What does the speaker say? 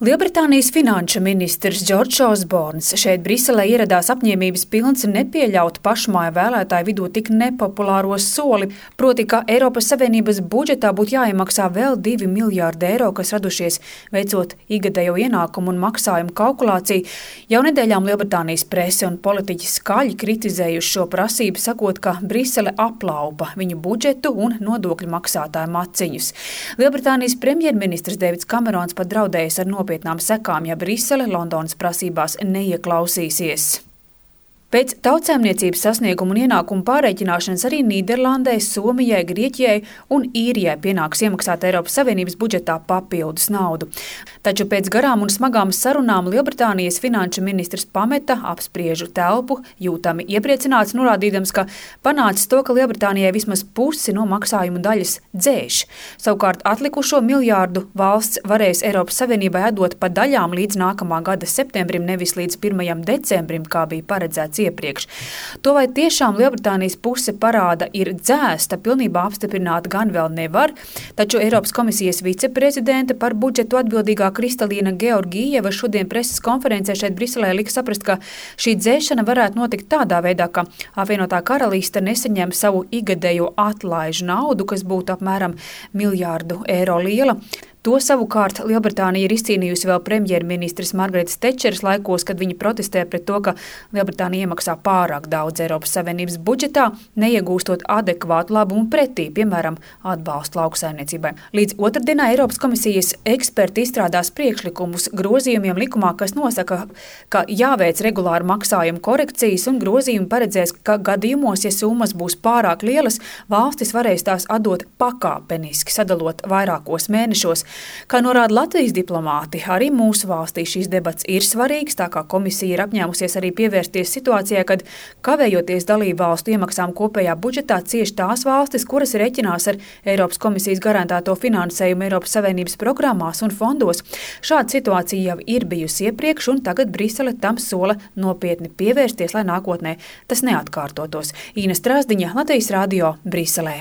Lielbritānijas finanšu ministrs Džordžs Osborns šeit Briselē ieradās apņēmības pilns nepieļaut pašmāju vēlētāju vidū tik nepopulāro soli, proti, ka Eiropas Savienības budžetā būtu jāiemaksā vēl 2 miljārdi eiro, kas radušies veicot ikgadējo ienākumu un maksājumu kalkulāciju. Jau nedēļām Lielbritānijas prese un politiķi skaļi kritizējuši šo prasību, sakot, ka Brisele aplaupa viņu budžetu un nodokļu maksātāju maciņus. Lielbritānijas premjerministrs Deivids Kamerons pat draudējis ar nopietnām sekām, ja Brisele Londonas prasībās neieklausīsies. Pēc tautsēmniecības sasniegumu un ienākumu pārreikināšanas arī Nīderlandē, Somijai, Grieķijai un Īrijai pienāks iemaksāt Eiropas Savienības budžetā papildus naudu. Taču pēc garām un smagām sarunām Lielbritānijas finanšu ministrs pameta apspriežu telpu, jūtami iepriecināts, norādīdams, ka panācis to, ka Lielbritānijai vismaz pusi no maksājumu daļas dzēš. Savukārt atlikušo miljārdu valsts varēs Eiropas Savienībai atdot pa daļām līdz nākamā gada septembrim, nevis līdz 1. decembrim, kā bija paredzēts iepriekš. To, vai tiešām Lielbritānijas puse parāda ir dzēsta, pilnībā apstiprināt gan vēl nevar, taču Eiropas komisijas viceprezidente par budžetu atbildīgā Kristalīna Georgieva šodien preses konferencē šeit Briselē lika saprast, ka šī dzēšana varētu notikt tādā veidā, ka apvienotā karaliste nesaņem savu ikgadējo atlaižu naudu, kas būtu apmēram 1 miljārdu eiro liela. To savukārt Lielbritānija ir izcīnījusi vēl premjerministres Margaretas Tečeras laikos, kad viņa protestē pret to, ka Lielbritānija iemaksā pārāk daudz Eiropas Savienības budžetā, neiegūstot adekvātu labumu pretī, piemēram, atbalstu lauksaimniecībai. Līdz otrdienā Eiropas komisijas eksperti izstrādās priekšlikumus grozījumiem likumā, kas nosaka, ka jāveic regulāri maksājumu korekcijas, un grozījumi paredzēs, ka gadījumos, ja summas būs pārāk lielas, valstis varēs tās atdot pakāpeniski, sadalot vairākos mēnešos. Kā norāda Latvijas diplomāti, arī mūsu valstī šīs debats ir svarīgs, tā kā komisija ir apņēmusies arī pievērsties situācijai, kad kavējoties dalību valstu iemaksām kopējā budžetā cieši tās valstis, kuras reķinās ar Eiropas komisijas garantēto finansējumu Eiropas Savienības programmās un fondos. Šāda situācija jau ir bijusi iepriekš, un tagad Brisele tam sola nopietni pievērsties, lai nākotnē tas neatkārtotos. Īna Strāzdiņa, Latvijas radio, Briselē.